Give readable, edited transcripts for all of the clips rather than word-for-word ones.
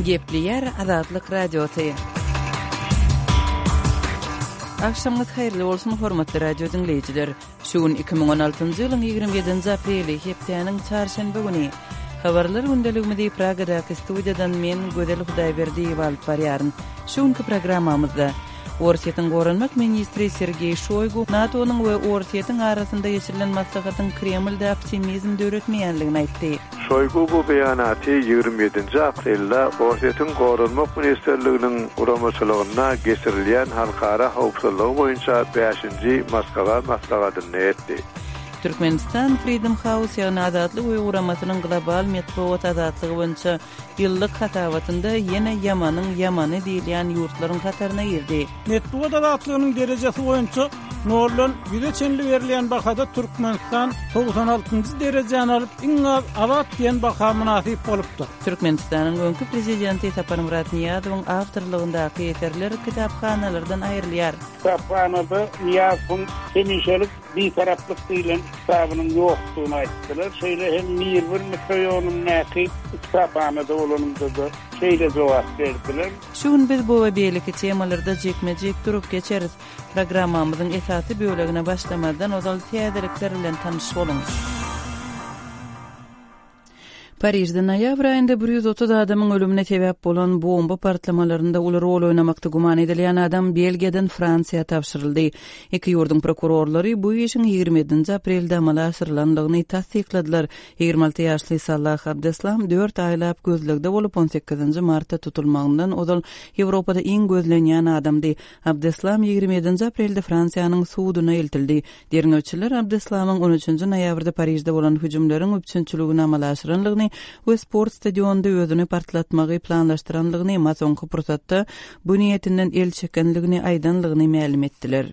Gepleýär Azatlyk Radiosy. Agşamyňyz haýyrly bolsun, hormatly radio diňleýjiler! Şu gün 2016-njy ýylyň 27-nji apreli, hepdäniň çarşenbe güni. Habarlar gündeligimizi Pragadaky studiýadan men, Gözel Hudaýberdiýewa alyp barýaryn. Şu günki programmamyzda Orsýetiň goranmak ministri Sergeý Şoýgu NATO-nyň we Orsýetiň arasynda geçirilen maslahatyň Kremlde optimizm döretmeýänligini aýtdy. Şoýgu bu beýanaty 27-nji aprelde Orsýetiň Goranmak ministrliginiň guramaçylygynda geçirilýän halkara howpsuzlygy boýunça bäşinji Moskwa maslahatynda etdi. Türkmenistan Freedom House, ýagny Azatlyk öýi guramasynyň global metbugat azatlygy boýunça Ýyllyk hasabatynda ýene ýamanyň ýamany diýilýän ýurtlaryň hataryna girdi. Metbugat azatlygynyň derejesi boýunça noldan ýüze çenli berilýän bahada Türkmenistan 96-njy derejäni alyp, iň az azat diýen baha mynasyp bolupdyr. Türkmenistanyň öňki prezidenti Saparmyrat Nyýazowyň awtorlygyndaky eserler kitaphanalardan aýrylýar. Kitaphanada Nyýazowyň hemişelik Bitaraplyk diýlen kitabynyň ýokdugyny aýtdylar. Şeýle hem Mirbir mikroýonyndaky kitaphanada bolanymda-da şeýle jogap berdiler. Şu gün biz bu we beýleki temalarda jikme-jik durup geçeris. Programmamyzyň esasy bölegine başlamazdan ozal täzelikler bilen tanyş boluň. Parižde noýabr aýynda 130 adamyň ölümine sebäp bolan bomba partlamalarynda uly rol oýnamakda güman edilýän adam Belgiýadan Fransiýa tabşyryldy. Iki ýurduň prokurorlary bu işiň 27-nji aprelde amala aşyrylandygyny tassykladylar. 26 ýaşly Salah Abdeslam dört aýlap gözlegde bolup, 18-nji martda tutulmagyndan ozal Ýewropada iň gözlenýän adamdy. Abdeslam 27-nji aprelde Fransiýanyň suduna eltildi. Derňewçiler Abdeslamyň on üçünji noýabrda Parižde bolan hüjümleriň üpjünçiligini amala aşyranlygyny we sport stadionynda özüni partlatmagy planlaşdyranlygyny, emma soňky pursatda bu niýetinden el çekenligini aýdanlygyny mälim etdiler.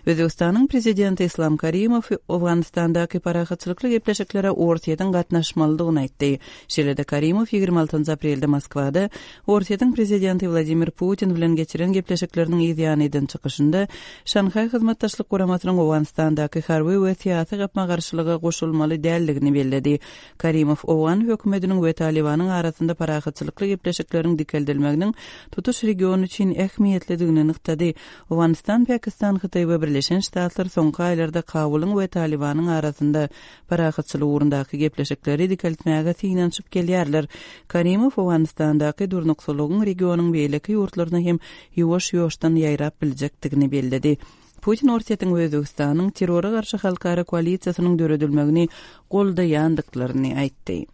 Özbegistanyň prezidenti Islam Karimow Owganystandaky parahatçylykly gepleşiklere Orsýetiň gatnaşmalydygyny aýtdy. Şeýle-de Karimow 26 aprelde Moskwada Orsýetiň prezidenti Wladimir Putin bilen geçiren gepleşikleriniň yz ýany eden çykyşynda Şanhaý Hyzmatdaşlyk Guramasynyň Owganystandaky harby we syýasy gapma-garşylyga goşulmaly däldigini belledi. Karimow owgan hökümetiniň we Talybanyň arasynda parahatçylykly gepleşikleriň dikeldilmeginiň tutuş region üçin ähmiýetlidigini nygtady. Owganystan, Pakistan, Hytaý we Birleşen Ştatlar soňky aýlarda Kabulyň we Talybanyň arasynda parahatçylyk ugrundaky gepleşikleri dikeltmäge synanyşyp gelýärler. Karimow Owganystandaky durnuksyzlygyň regionyň beýleki ýurtlaryna hem ýuwaş-ýuwaşdan ýaýrap biljekdigini belledi. Putin Orsýetiň we Özbegistanyň terrora garşy halkara koalisiýasynyň döredilmegini goldaýandyklaryny aýtdy.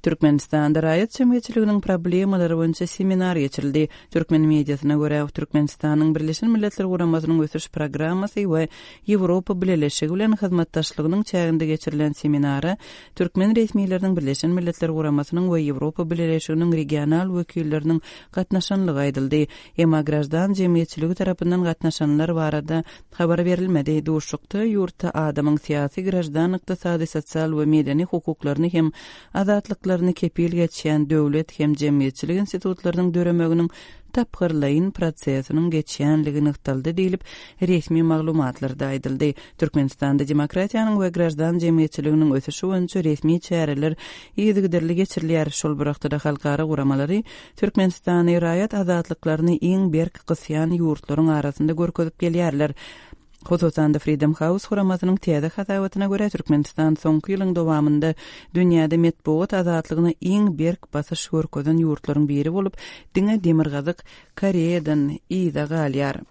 Türkmenistanda raýat jemgyýetçiliginiň problemalary boýunça seminar geçirildi. Türkmen mediasyna görä, Türkmenistanyň Birleşen Milletler Guramasynyň Ösüş Programmasy we Ýewropa Bileleşigi bilen hyzmatdaşlygynyň çäginde geçirilen seminara türkmen resmileriniň Birleşen Milletler Guramasynyň we Ýewropa Bileleşiginiň regional wekilleriniň gatnaşanlygy aýdyldy. Emma graždan jemgyýetçiligi tarapyndan gatnaşanlar barada habar berilmedi. Duşuşykda ýurtda adamyň syýasy, graždan, ykdysady, sosial we medeni hukuklaryny hem azatlyklaryny kepil geçýän döwlet hem jemgyýetçilik institutlarynyň döremeginiň tapgyrlaýyn prosesiniň geçýänligi nygtaldy diýlip, resmi maglumatlarda aýdyldy. Türkmenistanda demokratiýanyň we graždan jemgyýetçiliginiň ösüşi boýunça resmi çäreler yzygiderli geçirilýär. Şol bir wagtda-da halkara guramalary Türkmenistany raýat azatlyklaryny iň berk gysýan ýurtlaryň arasynda görkezip gelýärler. Hususan-da, Freedom House guramasynyň täze hasabatyna görä, Türkmenistan soňky ýylyň dowamynda dünýäde metbugat azatlygyna iň berk basyş görkezen ýurtlaryň biri bolup, diňe Demirgazyk Koreýadan yza galýar.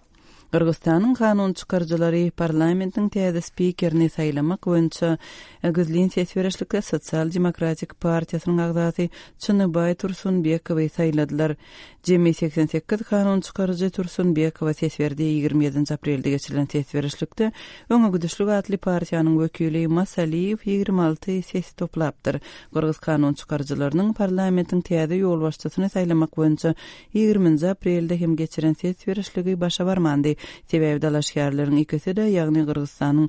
Gyrgyzystanyň kanun çykaryjylary parlamentiň täze spikerini saýlamak boýunça gizlin ses berişlikde Sosial demokratik partiýasynyň agzasy Çynybaý Tursunbekowy saýladylar. Jemi 88 kanun çykaryjy Tursunbekowa ses berdi. 27-nji aprelde geçirilen ses berişlikde Öňe gidişlik atly partiýanyň wekili Masaliýew 26 ses toplapdyr. Gyrgyz kanun çykaryjylarynyň parlamentiň täze ýolbaşçysyny saýlamak boýunça Ýigriminji aprelde hem geçiren ses berişligi başa barmandy. Sebäbi dalaşgärleriň ikisi-de, ýagny Gyrgyzystanyň.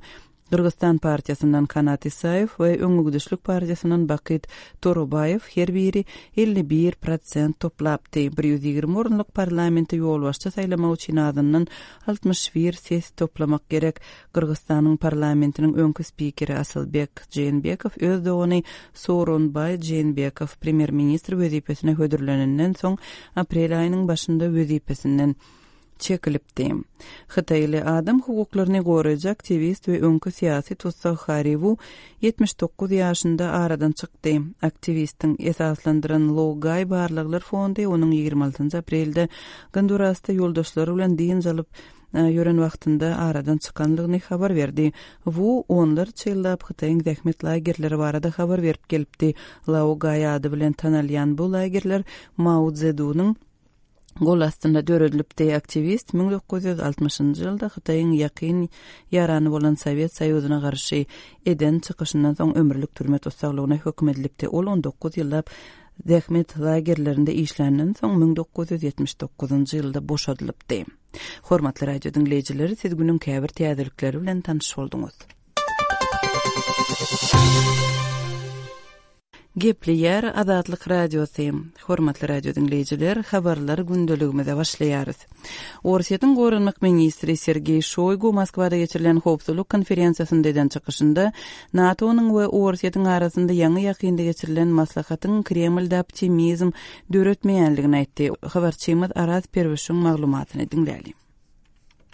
Gyrgyzstan partiýasyndan Kanat Isaýew we Öňegidişlik partiýasyndan Bakyt Torobaýew her biri 51 prosent toplapdy. 120 orunlyk parlamente ýolbaşçy saýlamak üçin azyndan 61 ses toplamak gerek. Gyrgyzstanyň parlamentiniň öňki spikeri Asylbek Jeenbekow öz dogany Sooronbaý Jeenbekow premýer-ministr wezipesine hödürlenenden soň aprel aýynyň başynda wezipesinden çekilipdi. Hytaýly adam hukuklaryny goraýjy aktiwist we öňki syýasy tussag Harri Wu 79 ýaşynda aradan çykdy. Aktiwistiň esaslandyran Laogai barlaglar fondy onuň 26 aprelde Gondurasda ýoldaşlary bilen dynç alyp ýören wagtynda aradan çykanlygyny habar berdi. Wu onlarça ýyllap Hytaýyň zähmet lagerleri barada habar berip gelipdi. Laogai ady bilen tanalýan bu lagerler Mao Szedunyň gol astynda döredilipdi. Aktiwist 1960-njy ýylda Hytaýyň ýakyn ýarany bolan Sowet Soýuzyna garşy eden çykyşyndan soň ömürlik türme tussaglygyna höküm edilipdi. Ol 19 ýyllap zähmet lagerlerinde işländen soň 1979-njy ýylda boşadylypdy. Hormatly radio diňleýjiler, siz günüň käbir täzelikleri bilen tanyş bolduňyz. Gepleýär Azatlyk Radiosy. Hormatly radio diňleýjiler, habarlar gündeligimize başlaýarys. Orsýetiň goranmak ministri Sergeý Şoýgu Moskwada geçirilen howpsuzlyk konferensiýasynda eden çykyşynda NATO-nyň we Orsýetiň arasynda ýaňy-ýakynda geçirilen maslahatyň Kremlde optimizm döretmeýänligini aýtdy. Habarçymyz Araz Perwişiň maglumatyny diňläliň.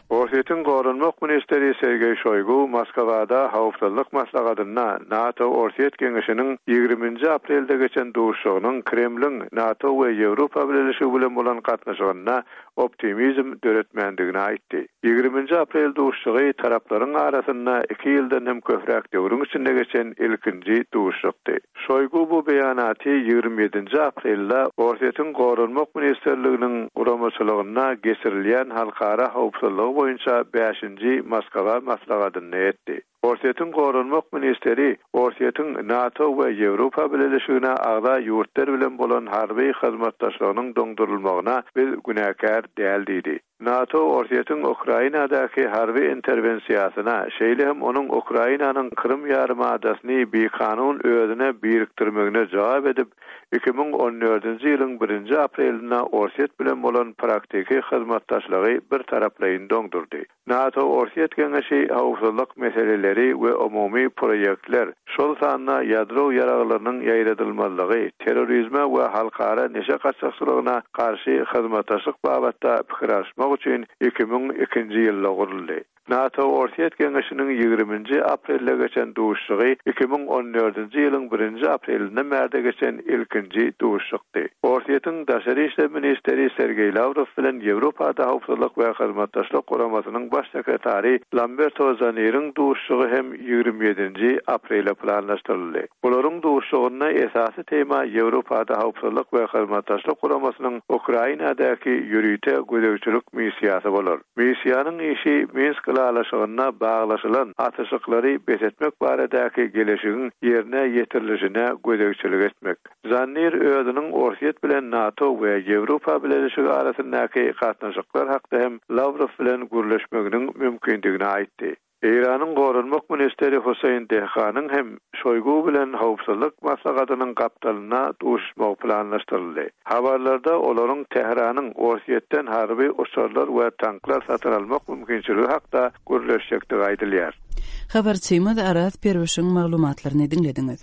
Orsýetiň goranmak ministri Sergeý Şoýgu Moskwada Howpsuzlyk maslahatynda NATO-Orsýet geňeşiniň ýigriminji aprelde geçen duşuşygynyň Kremliň NATO we Ýewropa Bileleşigi bilen bolan gatnaşygynda optimizm döretmändigini aýtdy. Ýigriminji aprel duşuşygy taraplaryň arasynda iki ýyldan hem köpräk döwrüň içinde geçen ilkinji duşuşykdy. Şoýgu bu beýanaty 27-nji aprelde Orsýetiň Goranmak ministrliginiň guramaçylygynda geçirilýän halkara howpsuzlygy boýunça bäşinji Moskwa maslahatynda etdi. Orsýetiň goranmak ministri Orsýetiň NATO we Ýewropa Bileleşigine agza ýurtlar bilen bolan harby hyzmatdaşlygynyň doňdurylmagyna biz günäkär däl diýdi. NATO Orsýetiň Ukrainadaky harby interwensiýasyna, şeýle hem onuň Ukrainanyň Krym ýarymadasyny bikanun özüne birikdirmegine jogap edip, 2014-nji ýylyň birinji aprelinde Orsýet bilen bolan praktiki hyzmatdaşlygy birtaraplaýyn doňdurdy. NATO-Orsýet geňeşi howpsuzlyk meseleleri we umumy proýektler, şol sanda ýadro ýaraglarynyň ýaýradylmazlygy, terrorizme we halkara neşe gaçakçylygyna garşy hyzmatdaşlyk babatda pikir alyşmak üçin 2002-nji ýylda guruldy. NATO-Orsýet geňeşiniň ýigriminji aprelde geçen duşuşygy 2014-nji ýylyň birinji aprelinden bärde geçen ilkinji duşuşykdy. Orsýetiň daşary işler ministri Sergeý Lawrow bilen Ýewropada Howpsuzlyk we Hyzmatdaşlyk Guramasynyň baş sekretary Lamberto Zaniriň duşuşygy hem 27-nji aprele planlaşdyryldy. Bularyň duşuşygynda esasy tema Ýewropada Howpsuzlyk we Hyzmatdaşlyk Guramasynyň Ukrainadaky ýörite gözegçilik missiýasy bolar. Missiýanyň işi Minsk ylalaşygynda baglaşylan atyşyklary bes etmek baradaky geleşigiň ýerine ýetirilişine gözegçilik etmek. Zannir özüniň Orsýet bilen NATO we Ýewropa Bileleşigi arasyndaky gatnaşyklar hakda hem Lawrow bilen gürleşmeginiň mümkindigini aýtdy. Eýranyň goranmak ministri Husseýn Dehganyň hem Şoýgu bilen howpsuzlyk maslahatynyň gapdalynda duşuşmagy planlaşdyryldy. Habarlarda olaryň Tähranyň Orsýetden harby uçarlar we tanklar satyn almak mümkinçiligi hakda gürleşjekdigi aýdylýar. Habarçymyz Araz Perwişiň maglumatlaryny diňlediňiz.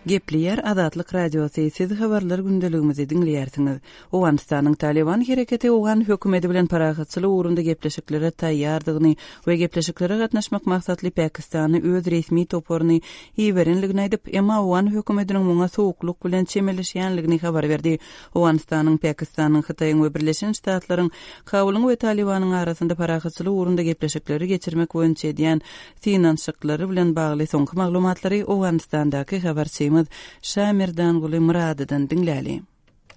Gepleýär Azatlyk Radiosy, siz habarlar gündeligimizi diňleýärsiňiz. Owganystanyň Talyban hereketi owgan hökümeti bilen parahatçylyk ugrunda gepleşiklere taýýardygyny we gepleşiklere gatnaşmak maksatly Pakistana öz resmi toparyny iberenligini aýdyp, emma owgan hökümetiniň muňa sowuklyk bilen çemeleşýänligini habar berdi. Owganystanyň, Pakistanyň, Hytaýyň we Birleşen Ştatlaryň Kabulyň we Talybanyň arasynda parahatçylyk ugrunda gepleşikleri geçirmek boýunça edýän synanyşyklary bilen bagly soňky maglumatlary Owganystandaky habarçymyz Şamerdanguly Myradydan diňläli.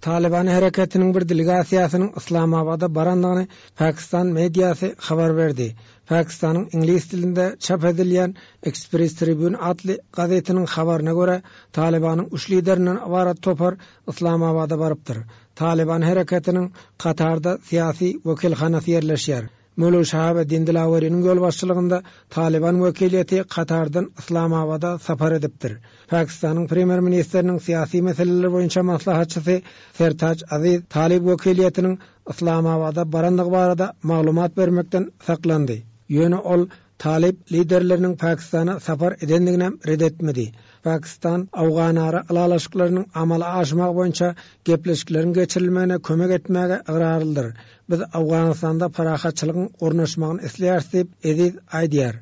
Talyban hereketiniň bir delegasiýasynyň Yslamabada barandygyny pakistan mediasy habar berdi. Pakistanyň iňlis dilinde çap edilýän Express Tribune atly gazetiniň habaryna görä, Talybanyň üç liderinden ybarat topar Yslamabada barypdyr. Talyban hereketiniň Katarda syýasy wekilhanasy ýerleşýär. Möwlöwi Şahabeddin Dilaweriniň ýolbaşçylygynda Talyban wekiliýeti Katardan Yslamabada sapar edipdir. Pakistanyň premýer-ministriniň syýasy meseleler boýunça maslahatçysy Sertaj Aziz talyp wekiliýetiniň Yslamabada barandygy barada maglumat bermekden saklandy. Ýöne ol talyp liderleriniň Pakistana sapar edendiginem ret etmedi. Pakistan owganara ylalaşyklarynyň amala aşmagy boýunça gepleşikleriň geçirilmegine kömek etmäge ygrarlydyr. Biz Owganystanda parahatçylygyň ornaşmagyny isleýäris diýip, Eziz aýdýar.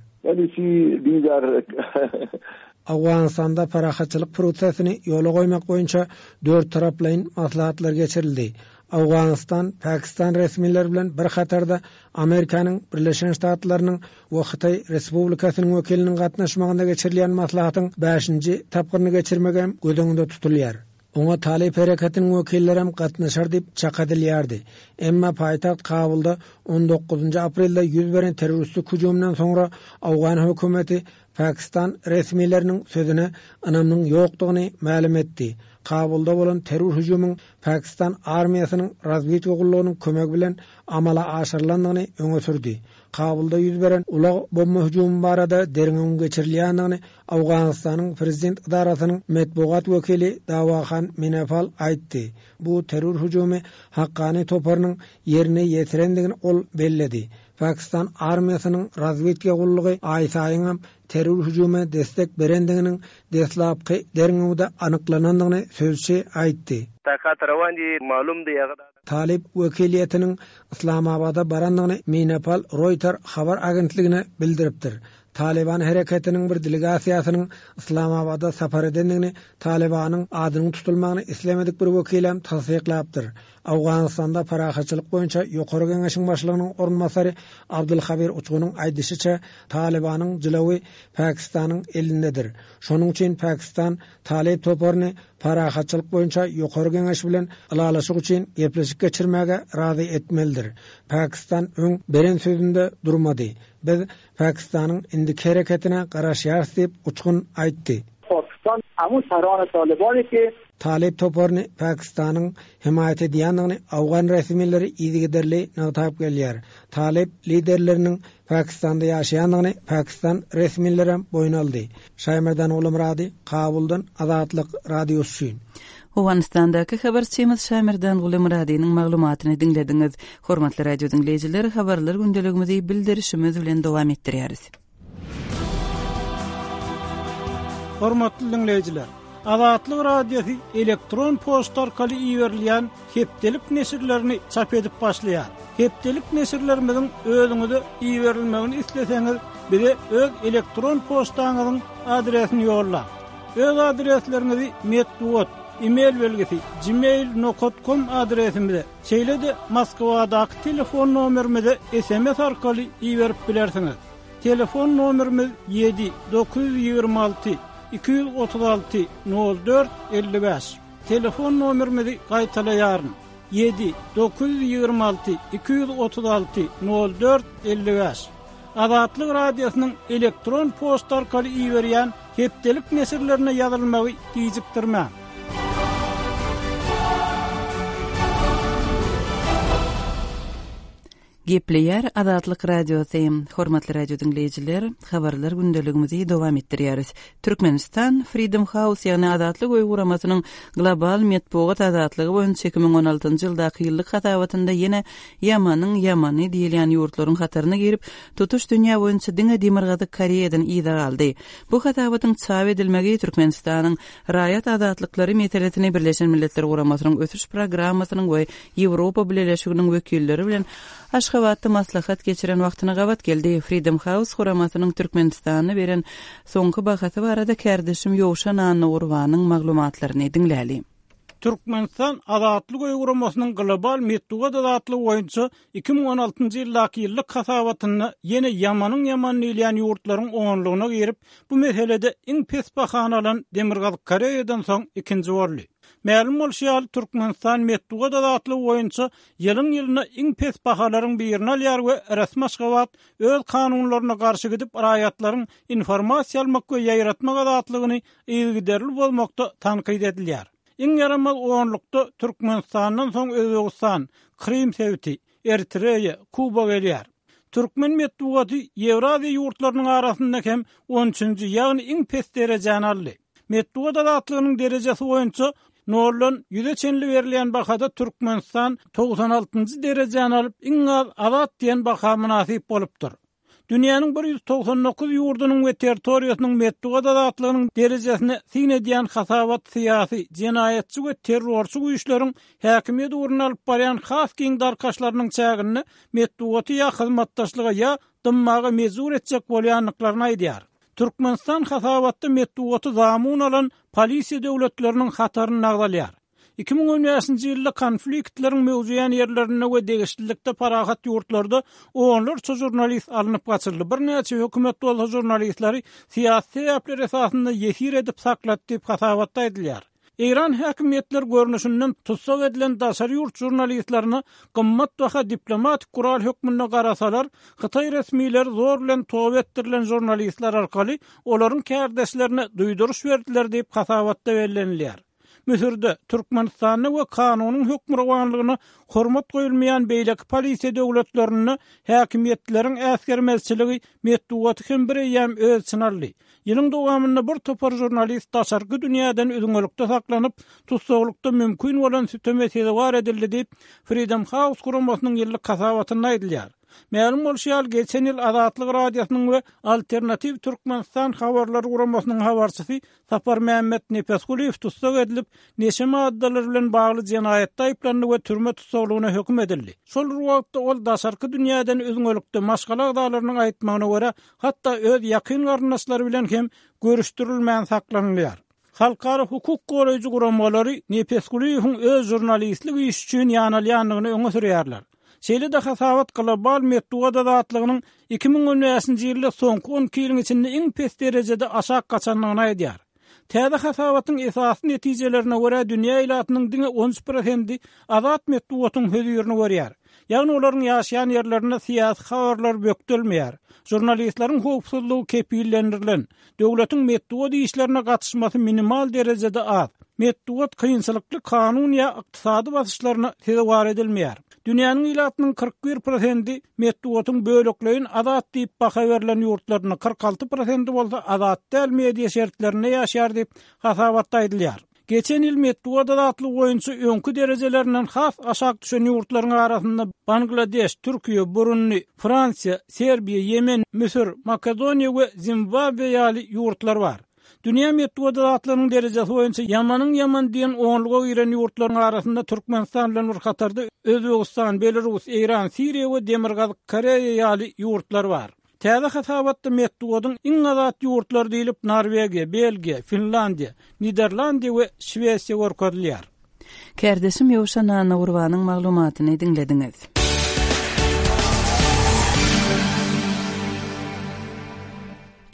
Owganystanda parahatçylyk prosesini ýola goýmak boýunça dörttaraplaýyn maslahatlar geçirildi. Owganystan, Pakistan resmileri bilen bir hatarda Amerikanyň Birleşen Ştatlarynyň we Hytaý Respublikasynyň wekiliniň gatnaşmagynda geçirilýän maslahatyň bäşinji tapgyryny geçirmek hem göz öňünde tutulýar. Oňa Talyp hereketiniň wekillerem gatnaşar diýip çak edilýärdi. Emma paýtagt Kabulda on dokuzynjy aprelde ýüz beren terroristik hüjüminden soňra owgan hökümeti Pakistan resmileriniň sözüne ynamynyň ýokdugyny mälim etdi. Kabulda bolan terror hüjümiň Pakistan armiýasynyň razwedka gullugynyň kömegi bilen amala aşyrylandygyny öňe sürdi. Kabulda ýüz beren ulag bomba hüjümi barada derňewiň geçirilýändigini Owganystanyň prezident edarasynyň metbugat wekili Dawahan Minefal aýtdy. Bu terror hüjümi Hakkani toparynyň ýerine ýetirendigini ol belledi. Pakistan armiýasynyň razwedka gullugy aýsaýyňam terror hüjüme destek berendiginiň deslapky derňewde anyklanandygyny sözçi aýtdy. Talyp wekiliýetiniň Yslamabada barandygyny Minapal Roýter habar agentligine bildiripdir. Talyban hereketiniň bir delegasiýasynyň Yslamabada sapar edendigini Talybanyň adynyň tutulmagyny islemedik bir wekilem tassyklapdyr. Owganystanda parahatçylyk boýunça Ýokary Geňeşiň başlygynyň orunbasary Abdul Habir Uçgunyň aýdyşyça, Talybanyň jylawy Pakistanyň elindedir. Şonuň üçin Pakistan Talyp toparyny Parahatçylyk boýunça Ýokary Geňeş bilen ylalaşyk üçin gepleşik geçirmäge razy etmelidir. Pakistan öň beren sözünde durmady. Biz Pakistanyň indiki hereketine garaşýarys diýip, Uçgun aýtdy. Pakistan amu sarany talybany ki. Talyp toparyny Pakistanyň hemaýat edýändigini owgan resmileri yzygiderli nygtap gelýär. Talyp liderleriniň Pakistanda ýaşaýandygyny pakistan resmilerem boýun aldy. Şaýmerdan Gulumyrady, Kabuldan Azatlyk Radiosy üçin. Owganystandaky habarçymyz Şaýmerdan Gulumyradynyň maglumatyny diňlediňiz. Hormatly radio diňleýjiler, habarlar gündeligimizi bildirişimiz bilen dowam etdirýäris. Hormatly diňleýjiler! Azatlyk Radiosy elektron poçta arkaly iberilýän hepdelik neşirlerini çap edip başlaýar. Hepdelik neşirlerimiziň özüňize iberilmegini isleseňiz, bize öz elektron poçtaňyzyň adresini ýollaň. Öz adresleriňizi metbugat, e-mail belgisi, gmail nokat kom adresimize, şeýle-de Moskwadaky telefon nomerimize sms arkaly iberip bilersiňiz. Telefon nomerimiz ýedi, 926, 236, 04, 55. Telefon nomerimizi gaýtalaýaryn, ýedi, 926, 236, 04, 55. Azatlyk Radiosynyň elektron poçta arkaly iberýän hepdelik neşirlerine ýazylmagy gijikdirmäň. Gepleýär Azatlyk Radiosy. Hormatly radio diňleýjiler, habarlar gündeligimizi dowam etdirýäris. Türkmenistan Freedom House, ýagny Azatlyk öýi guramasynyň global metbugat azatlygy boýunça 2016-njy ýyldaky ýyllyk hasabatynda ýene ýamanyň ýamany diýilýän ýurtlaryň hataryna girip, tutuş dünýä boýunça diňe Demirgazyk Koreýadan yza galdy. Bu hasabatyň çap edilmegi Türkmenistanyň raýat azatlyklary meselesini Birleşen Milletler Guramasynyň Ösüş Programmasynyň we Ýewropa Bileleşiginiň wekilleri bilen Aşgabatda maslahat geçiren wagtyna gabat geldi. Freedom House guramasynyň Türkmenistana beren soňky bahasy barada kärdeşim Ýowşan Annagurbanyň maglumatlaryny diňläli. Türkmenistan Azatlyk öýi guramasynyň global metbugat azatlygy boýunça 2016-njy ýyldaky ýyllyk hasabatynda ýene ýamanyň ýamany diýilýän ýurtlaryň onlugyna girip, bu meselede iň pes bahany alan Demirgazyk Koreýadan soň ikinji boldy. Mälim bolşy ýaly, Türkmenistan metbugat azatlygy boýunça ýylyň-ýylyna iň pes bahalaryň birini alýar we resmi Aşgabat öz kanunlaryna garşy gidip, raýatlaryň informasiýa almak we ýaýratmak azatlygyny yzygiderli bozmakda tankyt edilýär. Iň ýaramaz onlukda Türkmenistandan soň Özbegistan, Krym sebiti, Eritreýa, Kuba gelýär. Türkmen metbugaty Ýewraziýa ýurtlarynyň arasynda hem on üçünji, ýagny iň pes derejäni aldy. Metbugat azatlygynyň derejesi boýunça noldan ýüze çenli berilýän bahada Türkmenistan 96-njy derejäni alyp, iň az azat diýen baha mynasyp bolupdyr. Dünýäniň 199 ýurdunyň we territoriýasynyň metbugat azatlygynyň derejesine syn edýän hasabat syýasy, jenaýatçy we terrorçy güýçleriň häkimiýet ugrunda alyp barýan has giň darkaşlarynyň çäginde metbugaty ýa hyzmatdaşlyga ýa dymmaga mejbur etjek bolýandyklaryny aýdýar. Türkmenistan hasabatda metbugaty zamun alan polisiýa döwletleriniň hatarynda agzalýar. 2015-nji ýylda konfliktleriň möwjeýän ýerlerinde we degişlilikde parahat ýurtlarda onlarça žurnalist alnyp gaçyldy, birnäçe hökümet bolsa žurnalistleri syýasy sebäpler esasynda ýesir edip saklady diýip, hasabatda aýdylýar. Eýran häkimiýetleri görnüşinden tussag edilen daşary ýurt žurnalistlerine gymmatbaha diplomatik gural hökmünde garasalar, hytaý resmileri zor bilen toba etdirilen žurnalistler arkaly olaryň kärdeşlerine duýduryş berdiler diýip, hasabatda bellenilýär. Müsürde, Türkmenistanda we kanunyň hökmürowanlygyna hormat goýulmaýan beýleki polisiýa döwletlerinde häkimiýetleriň äsgermezçiligi metbugaty hem bireýýäm öz içine aldy. Ýylyň dowamynda bir topar žurnalist daşarky dünýäden üzňelikde saklanyp, tussaglykda mümkin bolan süteme sezewar edildi diýip, Freedom House guramasynyň ýyllyk hasabatynda aýdylýar. Mälim bolşy ýaly, geçen ýyl Azatlyk Radiosynyň we Alternatiw Türkmenistan habarlar guramasynyň habarçysy Saparmämmet Nepesgulyýew tussag edilip, neşe maddalary bilen bagly jenaýatda aýyplandy we türme tussaglygyna höküm edildi. Şol bir wagtda, ol daşarky dünýäden üzňelikde, maşgala agzalarynyň aýtmagyna görä, hatda öz ýakyn garyndaşlary bilen hem görüşdirilmän saklanylýar. Halkara hukuk goraýjy guramalary Nepesgulyýewiň öz žurnalistlik işi üçin ýanalýandygyny öňe sürýärler. Şeýle-de hasabat global metbugat azatlygynyň 2015-nji ýylda soňky 12 ýylyň içinde iň pes derejede aşak gaçandygyny aýdýar. Täze hasabatyň esasy netijelerine görä, dünýä ilatynyň diňe 13 prosendi azat metbugatyň hözirini görýär. Ýagny olaryň ýaşaýan ýerlerinde syýasy habarlar bökdelmeýär, žurnalistleriň howpsuzlygy kepillendirilen, Döwletiň metbugat işlerine gatyşmasy minimal derejede az. Metbugat kynçylykly kanun ýa ykdysady basyşlaryna sezewar edilmeýär. Dünýäniň ilatynyň 41 prosendi metbugatyň bölekleýin azat diýip baha berlen ýurtlarynda, 46 prosendi bolsa azat däl media şertlerinde ýaşaýar diýip, hasabatda aýdylýar. Geçen ýyl metbugat azatlygy boýunça öňki derejelerinden has aşak düşen ýurtlaryň arasynda Bangladeş, Türkiýe, Burundi, Fransiýa, Serbiýa, Ýemen, Müsür, Makedoniýa we Zimbabwe ýaly ýurtlar bar. Dünýä metbugat azatlygynyň derejesi boýunça ýamanyň ýamany diýen onluga giren ýurtlaryň arasynda Türkmenistan bilen bir hatarda Özbegistan, Belarus, Eýran, Siriýa we Demirgazyk Koreýa ýaly ýurtlar bar. Täze hasabatda metbugatyň iň azat ýurtlary diýlip Norwegiýa, Belgiýa, Finlandiýa, Niderlandiýa we Şwesiýa görkezilýär. Kärdeşim Ýowşan Annagurbanyň maglumatyny diňlediňiz.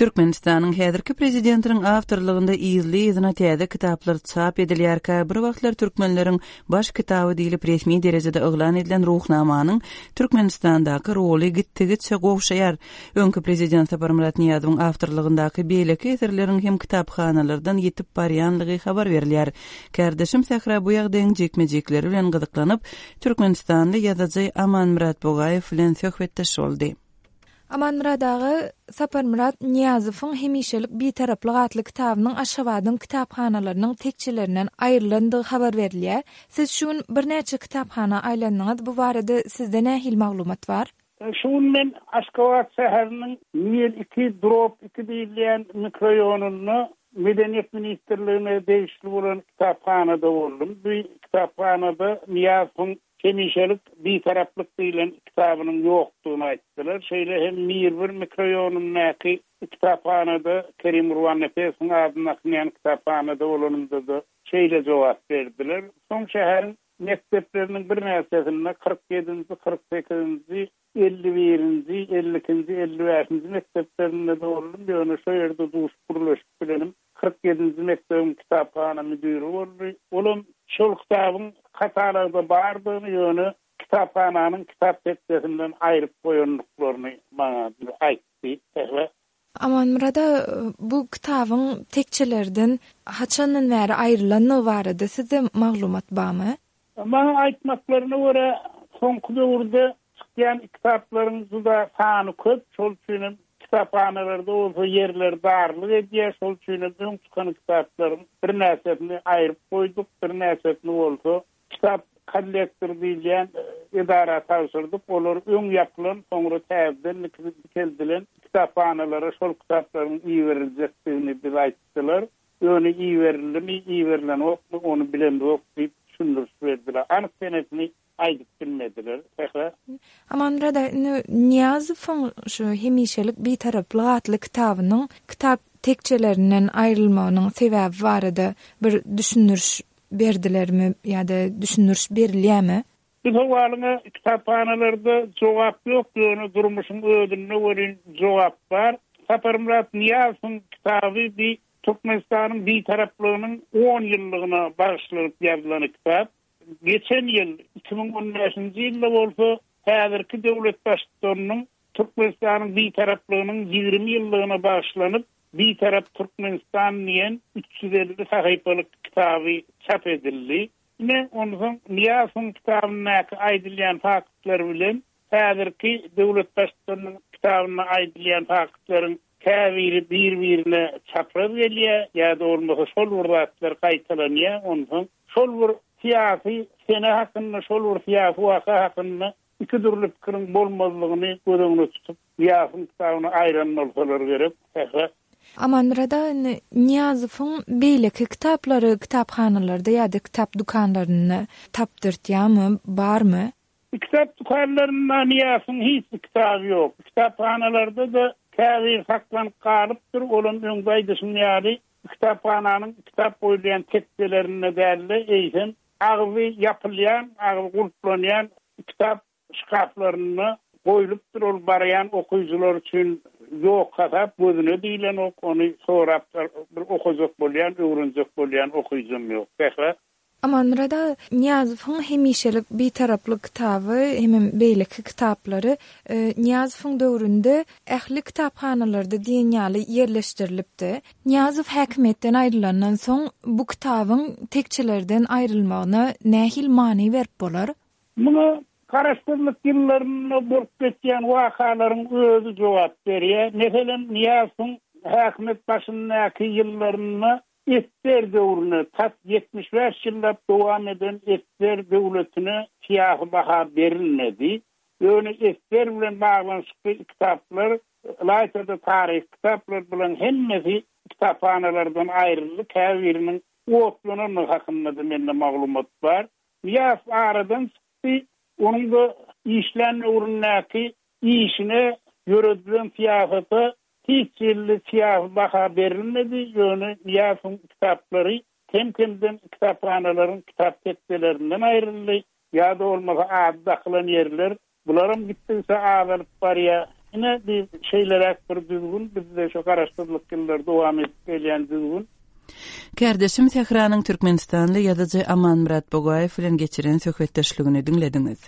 Türkmenistanyň häzirki prezidentiniň awtorlygynda yzly-yzyna täze kitaplar çap edilýärkä, bir wagtlar türkmenleriň baş kitaby diýlip resmi derejede yglan edilen Ruhnamanyň Türkmenistandaky roly gitdigiçe gowşaýar. Öňki prezident Saparmyrat Nyýazowyň awtorlygyndaky beýleki eserleriň hem kitaphanalardan ýitip barýanlygy habar berilýär. Kärdeşim Sähra bu ýagdaýyň jikme-jikleri bilen gyzyklanyp, türkmenistanly ýazyjy Amanmyrat Bugaýew bilen söhbetdeş boldy. Amanmyrat aga, Saparmyrat Nyýazowyň Hemişelik Bitaraplyk atly kitabynyň Aşgabadyň kitaphanalarynyň tekjelerinden aýrylandygy habar berilýär. Siz şu gün birnäçe kitaphana aýlandyňyz, bu barada sizde nähili maglumat bar? Şu gün men Aşgabat şäheriniň Mil iki drop iki diýilýän mikroýonynda Medeniýet ministrligine degişli bolan kitaphanada boldum. Bu kitaphanada Nyýazowyň Hemişelik Bitaraplyk diýlen kitabynyň ýokdugyny aýtdylar. Şeýle hem Mirbir mikroýonyndaky kitaphanada, Kerim Gurbannepesowyň adyny dakynýan kitaphanada bolanymda-da şeýle jogap berdiler. Soň şäheriň mekdepleriniň birnäçesinde, 47-nji, 48-nji, 51-nji, 52-nji, 55-nji mekdeplerinde-de boldum, ýöne şo ýerde duşup gürleşip bilenim 47-nji mekdebiň kitaphana müdiri boldy. Olam şol kitabyň katalogda bardygyny, ýöne kitaphananyň kitap tekjesinden aýryp goýandyklaryny maňa aýtdy. Aman. Amanmyrat aga, bu kitabyň tekjelerden haçandan bäri aýrylandygy barada sizde maglumat barmy? Maňa aýtmaklaryna görä, soňky döwürde çykýan kitaplaryň juda sany köp, şol üçinem kitaphanalarda bolsa ýerler darlyk edýär, şol üçinem öň çykan kitaplaryň birnäçesini aýryp goýduk, birnäçesini bolsa kitap kollektor diýilýän edara tabşyrdyk, olar öň ýapylan, soňra täzeden dikeldilen kitaphanalara şol kitaplaryň iberiljekdigini bize aýtdylar. Ýöne iberildimi, iberilenokmy, ony bilemzok diýip düşündiriş berdiler. Anyk senesini aýdyp bilmediler. Sähra. Amanmyrat aga, indi Nyýazowyň şu Hemişelik Bitaraplyk atly kitabynyň kitap tekjelerinden aýrylmagynyň sebäbi barada bir düşündiriş berdilermi ýa-da düşündiriş berilýärmi? Bu sowalyňa kitaphanalarda jogap ýok, ýöne durmuşyň özünde welin jogap bar. Saparmyrat Nyýazowyň kitaby bi Türkmenistanyň Bitaraplygynyň on ýyllygyna bagyşlanyp ýazylan kitap. Geçen ýyl, 2015-nji ýylda bolsa häzirki döwlet Baştutanynyň Türkmenistanyň Bitaraplygynyň 20 ýyllygyna bagyşlanyp Bitarap Türkmenistan diýen 350 sahypalyk kitaby çap edildi. Ine, onsoň Nyýazowyň kitabyndaky aýdylýan faktlar bilen häzirki döwlet Baştutanynyň kitabynda aýdylýan faktlaryň käbiri bir-birine çapraz gelýär ýa-da bolmasa şol bir zatlar gaýtalanýar. Onsoň şol bir syýasy sene hakynda, şol bir syýasy waka hakynda iki dürli pikiriň bolmazlygyny göz öňüne tutup, Nyýazowyň kitabyny aýran bolsalar gerek. Sähra. Amanmyrat aga, indi Nyýazowyň beýleki kitaplary kitaphanalarda ýa-da kitap dükanlarynda tapdyrtýarmy, barmy? Kitap dükanlarynda Nyýazowyň hiç bir kitaby ýok. Kitaphanalarda-da käbiri saklanyp galypdyr, olam öňde aýdyşym ýaly, kitaphananyň kitap goýulýan tekjelerinde däl-de, eýsem, Agzy ýapylýan, agzy gulplanýan kitap şkaflarynda goýlupdyr, ol barýan okyjylar üçin ýok hasap, gözüne diýlenok, ony sorap bir okajak bolýan, öwrenjek bolýan okyjam ýok. Sähra. Amanmyrat aga, Nyýazowyň Hemişelik Bitaraplyk kitaby hemem beýleki kitaplary Nyýazowyň döwründe ähli kitaphanalarda diýen ýaly ýerleşdirilipdi. Nyýazow häkimiýetden aýrylandan soň bu kitabyň tekjelerden aýrylmagyna nähili many berip bolar? Muňa Garaşsyzlyk ýyllarynda bolup geçýän wakalaryň özi jogap berýär. Meselem, Nyýazowyň häkimiýet başyndaky ýyllarynda Esser döwrüne, tas 75 ýyllap dowam eden esser döwletine syýasy baha berilmedi. Ýöne esser bilen baglanyşykly kitaplar, ylaýta-da taryhy kitaplar bularyň hemmesi kitaphanalardan aýryldy, käbiriniň otlanandygy hakynda-da mende maglumat bar. Nyýazow aradan çykdy, onuň-da işlän döwründäki işine, ýöredilen syýasata hiç hili syýasy baha berilmedi, ýöne Nyýazowyň kitaplary kem-kemden kitaphanalaryň kitap tekjelerinden aýryldy. Ýa-da bolmasa ady dakylan ýerler, bularam gitdigiçe azalyp barýar. Ine, bi şeýleräk bir düzgün, bizde şu garaşsyzlyk ýyllary dowam edip gelýän düzgün. Kärdeşim Sähranyň türkmenistanly ýazyjy Amanmyrat Bugaýew bilen geçiren söhbetdeşligini diňlediňiz.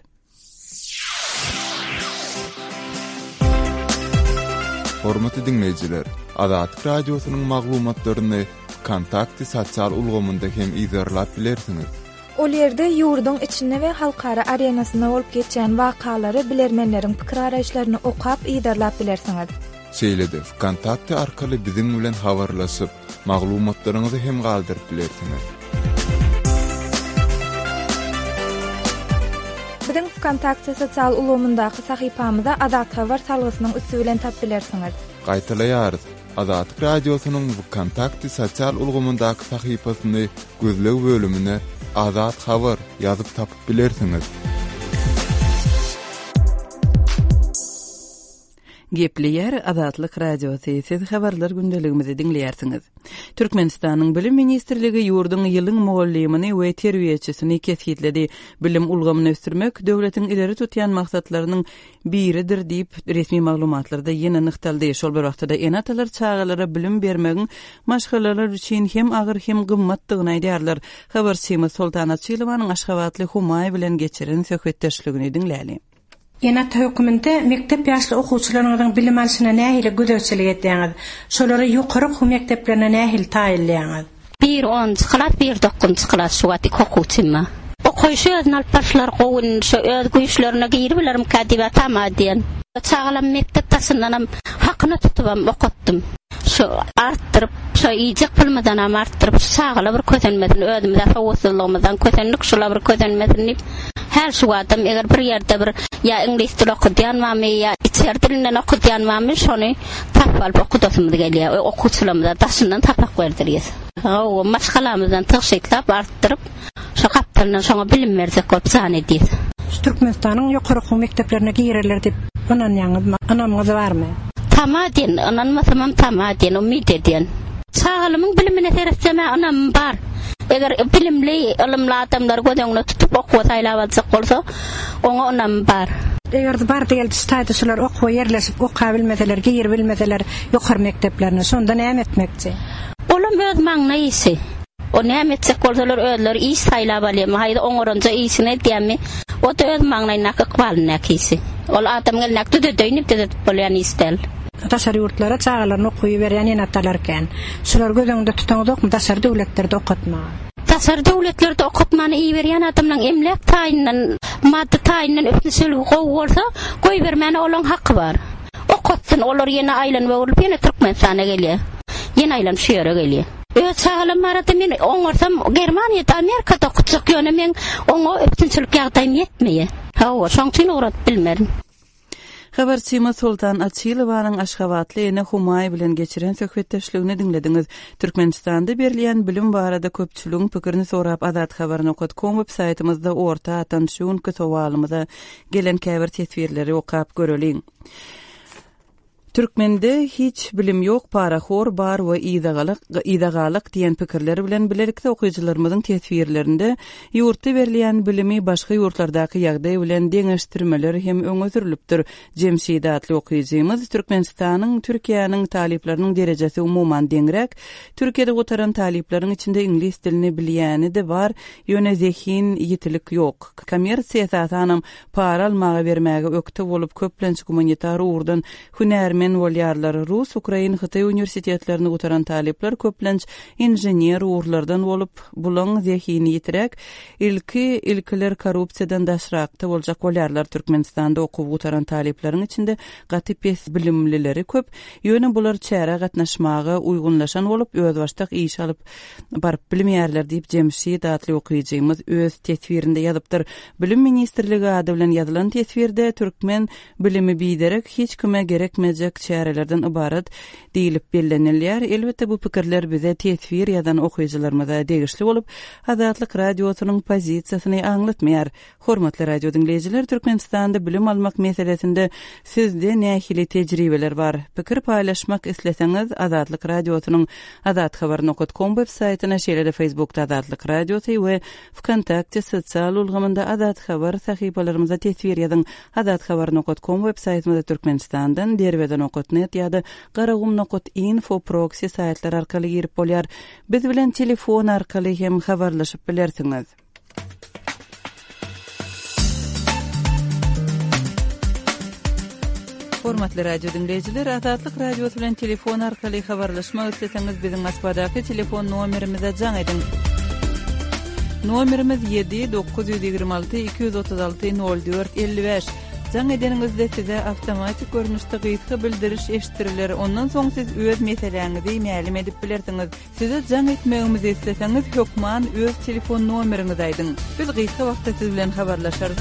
Hormatly diňleýjiler, Azatlyk Radiosynyň maglumatlaryny Wkontakte sosial ulgamynda hem yzarlap bilersiňiz. Ol ýerde ýurduň içinde we halkara arenasynda bolup geçýän wakalary, bilermenleriň pikir-garaýyşlaryny okap, yzarlap bilersiňiz. Şeýle-de Wkontakte arkaly biziň bilen habarlaşyp, maglumatlaryňyzy hem galdyryp bilersiňiz. Biziň Wkontakte sosial ulgamyndaky sahypamyza Azathabar salgysynyň üsti bilen tap bilersiňiz. Gaýtalaýarys, Azatlyk Radiosynyň Wkontakte sosial ulgamyndaky sahypasyny gözleg bölümine Azat Habar ýazyp tapyp bilersiňiz. Gepleýär Azatlyk Radiosy, siz habarlar gündeligimizi diňleýärsiňiz. Türkmenistanyň Bilim ministrligi ýurduň ýylyň mugallymyny we terbiýeçisini kesgitledi. Bilim ulgamyny ösdürmek döwletiň ileri tutýan maksatlarynyň biridir diýip, resmi maglumatlarda ýene nygtaldy. Şol bir wagtda-da ene-atalar çagalara bilim bermegiň maşgalalar üçin hem agyr, hem gymmatdygyny aýdýarlar. Habarçymyz Soltan Açylowanyň aşgabatly Humaý bilen geçiren söhbetdeşligini diňläli. Ene-ata höküminde mekdep ýaşly okuwçylaryňyzyň bilim alşyna nähili gözegçilik edýäňiz? Şolary ýokary okuw mekdeplerine nähili taýynlaýaňyz? Biri onunjy klas, biri dokuzynjy klas şu wagt iki okuwçym bar. Okaýşy özüni alyp barşlary gowy indi şo öz güýçlerine giribilermikä diýibä tama edýän. Çagalam mekdep daşyndanam hakyna tutubam okatdym. Şu artdyryp, şo iýjek pulumyzdanam artdyryp, şu çagalar bir kösenmesin, özümiz-ä sowatsyzlygymyzdan kösendik, şular bir kösenmesin diýip, häl şu wagtam eger bir ýerde bir ýa iňlis dili okudýan barmy, ýa içeri dilinden okudýan barmy, şony tapyp alyp okudasymyz gelýär. Okuwçylarymyza daşyndan sapak berdirýäs. Hawa, maşgalamyzdan tygşytlap, artdyryp, Şo gapdalyndan şoňa bilim berjek bolup jan edýäs. Şu Türkmenistanyň ýokary okuw mekdeplerine girerler diýip ynanýaňyzmy? Ynamyňyz barmy? Tama edýän, ynanmasamam tama edýän, umyt edýän. Çagalymyň bilimine seretsem-ä ynamym bar. Eger bilimli, ylymly adamlary göz öňüne tutup okuwa saýlap aljak bolsa, oňa ynamym bar. Eger bardy-geldi şu taýda şular okuwa ýerleşip okabilmeseler, giribilmeseler ýokary mekdeplerine, şonda näme etmekçi? Olam öz maňlaý işi. O näme etjek bolsalar özleri iş saýlap alýarmy, haýsy oňaranja işini edýärmi, o-da öz maňlaýyndaky ykbalyndaky işi. Ol adamyň elindäki düzedeýin diýip düzedip bolýan iş däl. Daşary ýurtlara çagalaryny okuwa iberýän ene-atalar kän. Şulary göz öňünde tutaňyzokmy daşary döwletlerde okatmaga? Daşary döwletlerde okatmana iberýän adamlaryň emläk taýyndan, maddy taýyndan üpjünçiligi gowy bolsa, goýbermäne olaň haky bar. Okatsyn, olar ýene aýlanyp-öwrülip ýene Türkmenistana gelýär. Ýene aýlanyp şu ýere gelýär. Öz çagalam barada men oňarsam Germaniýada, Amerikada okutjak, ýöne meň oňa üpjünçilik ýagdaýym ýetmeýär. Hawa, şoň üçin ugradyp bilmerin. Habarçymyz Soltan Açylowanyň aşgabatly ene Humaý bilen geçiren söhbetdeşligini diňlediňiz. Türkmenistanda berilýän bilim barada köpçüligiň pikirini sorap Azathabar nokat kom web saýtymyzda orta atan şu günki sowalymyza gelen käbir teswirleri okap göreliň. Türkmende hiç bilim ýok parahor bar we yzagalak yzagalak diýen pikirler bilen bilelikde okyjylarymyzyň teswirlerinde ýurtda berilýän bilimi başga ýurtlardaky ýagdaý bilen deňeşdirmeler hem öňe sürlüpdir. Jemşit atly okyjymyz Türkmenistanyň Türkiýäniň talyplarynyň derejesi umuman deňräk. Türkiýede gutaran talyplaryň içinde iňlis dilini bilýäni-de bar, ýöne zehin ýitilik ýok. Kommersiýa esasanam para almaga bermäge ökde bolup köplenç gumanitar ugurdan hünärmen bolýarlar. Rus, ukrain, hytaý uniwersitetlerini gutaran talyplar köplenç inžener ugurlardan bolup, bulaň zehini ýitiräk, ilki ilkiler korrupsiýadan daşrakda boljak bolýarlar. Türkmenistanda okuw gutaran talyplaryň içinde gaty pes bilimlileri köp, ýöne bular çärä gatnaşmaga uýgunlaşan bolup özbaşdak iş alyp baryp bilmeýärler diýip Jemşit atly okyjymyz öz teswirinde ýazypdyr. Bilim ministrligi ady bilen ýazylan teswirde türkmen bilimi biderek, hiç kime gerekmejek çärelerden ybarat diýlip bellenilýär. Elbetde bu pikirler bize teswir ýazan okyjylarymyza degişli bolup, Azatlyk Radiosynyň pozisiýasyny aňlatmaýar. Hormatly radio diňleýjiler, Türkmenistanda bilim almak meselesinde sizde nähili tejribeler bar? Pikir paýlaşmak isleseňiz, Azatlyk Radiosynyň azathabar nokat kom web saýtyna, şeýle-de Facebookda Azatlyk Radiosy we Wkontakte sosial ulgamynda Azathabar sahypalarymyza teswir ýazyň. Azathabar nokat kom web saýtymyza Türkmenistandan Derweze nokat net ýa-da Garagum nokat info proksi saýtlary arkaly girip bolýar. Biz bilen telefon arkaly hem habarlaşyp bilersiňiz. Hormatly radio diňleýjiler, Azatlyk Radiosy bilen telefon arkaly habarlaşmak isleseňiz, biziň Moskwadaky telefon nomerimize jaň ediň. Nomerimiz 7 926 236 04 55. Jaň edeniňizde size awtomatik görnüşde gysga bildiriş eşitdiriler, ondan soň siz öz meseläňizi mälim edip bilersiňiz. Size jaň etmegimizi isleseňiz hökman öz telefon nomeriňizi aýdyň. Biz gysga wagtda siz bilen habarlaşarys.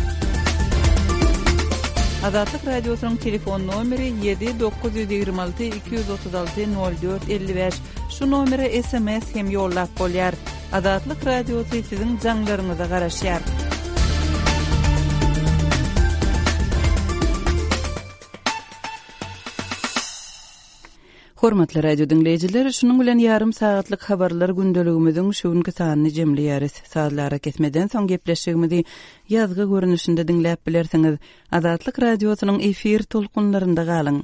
Azatlyk Radiosynyň telefon nomeri 7 926 236 04 55. Şu nomere sms hem ýollap bolýar. Azatlyk Radiosy siziň jaňlaryňyza garaşýar. Hormatly radio diňleýjiler, şunuň bilen ýarym sagatlyk habarlar gündeligimiziň şu günki sanyny jemleýäris. Sazly arakesmeden soň gepleşigimizi ýazgy görnüşinde diňläp bilersiňiz. Azatlyk Radiosynyň efir tolkunlarynda galyň!